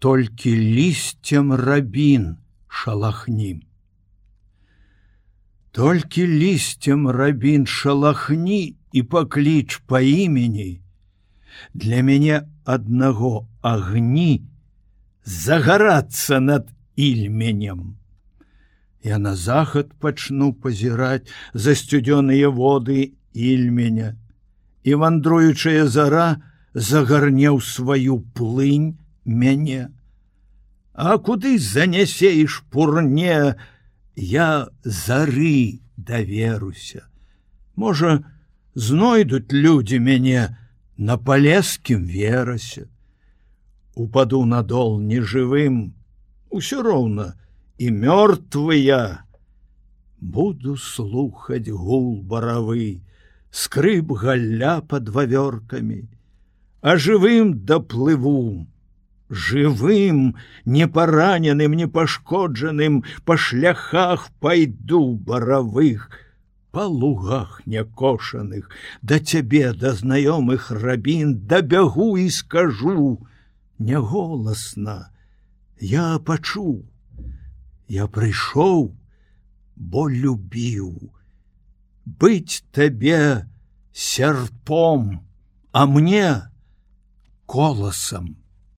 толькі лісцем рабін шалахні. Толькі лісцем рабін шалахні і пакліч па імені, для мяне аднаго агні загарацца над ільменем. Я на захад пачну пазіраць за сцюдзёныя воды ільменя, і вандруючая зара загарне ў сваю плынь мяне. А куды занясе і шпурне, я зары даверуся. Можа, знойдуць людзі мяне на палескім верасе. Упаду на дол нежывым, усё роўна і мёртвы я. Буду слухаць гул баравы, скрып галля пад вавёркамі, а жывым даплыву. Жывым, непараненым, непашкоджаным па шляхах пайду баравых, па лугах някошаных, да цябе, да знаёмых рабін, дабягу і скажу няголасна: я пачуў, я прыйшоў, бо любіў быць табе сярпом, а мне коласам.